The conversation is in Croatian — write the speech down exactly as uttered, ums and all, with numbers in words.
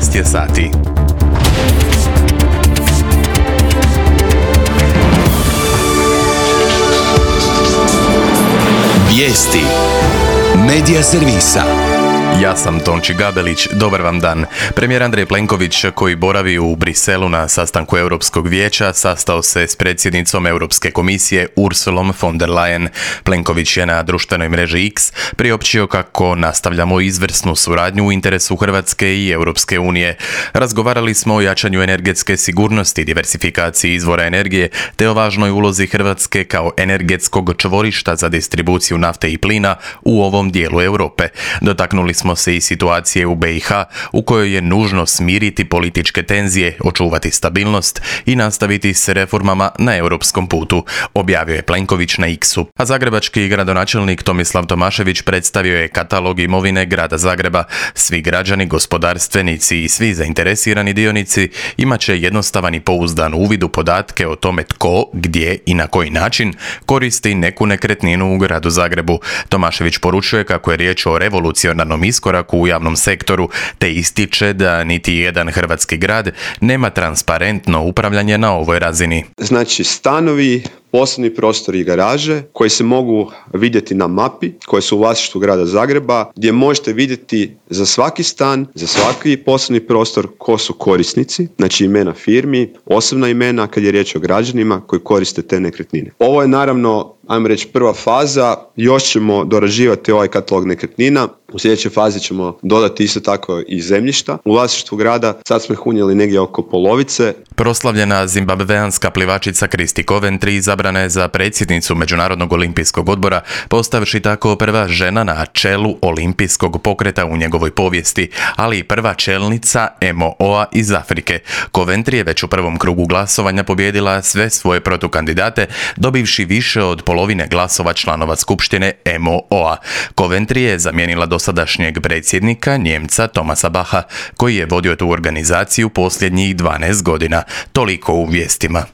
jedanaest je sati. Vijesti Medija servisa. Ja sam Tonči Gabelić, dobar vam dan. Premijer Andrej Plenković, koji boravi u Briselu na sastanku Europskog vijeća, sastao se s predsjednicom Europske komisije Ursulom von der Leyen. Plenković je na društvenoj mreži X priopćio kako nastavljamo izvrsnu suradnju u interesu Hrvatske i Europske unije. Razgovarali smo o jačanju energetske sigurnosti, diversifikaciji izvora energije, te o važnoj ulozi Hrvatske kao energetskog čvorišta za distribuciju nafte i plina u ovom dijelu Europe. Dotaknuli smo se i situacije u B i H u kojoj je nužno smiriti političke tenzije, očuvati stabilnost i nastaviti s reformama na europskom putu, objavio je Plenković na X-u. A zagrebački gradonačelnik Tomislav Tomašević predstavio je katalog imovine grada Zagreba. Svi građani, gospodarstvenici i svi zainteresirani dionici imat će jednostavan i pouzdan uvid u podatke o tome tko, gdje i na koji način koristi neku nekretninu u gradu Zagrebu. Tomašević poručuje kako je riječ o revolucionarnom iskoraku u javnom sektoru, te ističe da niti jedan hrvatski grad nema transparentno upravljanje na ovoj razini. Znači stanovi, poslovni prostori i garaže koji se mogu vidjeti na mapi, koje su u vlasništvu grada Zagreba, gdje možete vidjeti za svaki stan, za svaki poslovni prostor ko su korisnici, znači imena firmi, osobna imena kad je riječ o građanima koji koriste te nekretnine. Ovo je naravno, ajmo reći, prva faza, još ćemo dorađivati ovaj katalog nekretnina. U sljedećoj fazi ćemo dodati isto tako i zemljišta u vlasništvu grada. Sad smo ih unijeli negdje oko polovice. Proslavljena zimbabveanska plivačica Kristi Coventry izabrana je za predsjednicu Međunarodnog olimpijskog odbora, postavši tako prva žena na čelu olimpijskog pokreta u njegovoj povijesti, ali i prva čelnica M O O-a iz Afrike. Coventry je već u prvom krugu glasovanja pobijedila sve svoje protukandidate, dobivši više od polovine glasova članova skupštine M O O-a. Coventry je zamijenila dosadašnjeg predsjednika, Njemca Thomasa Bacha, koji je vodio tu organizaciju posljednjih dvanaest godina. Toliko u vijestima.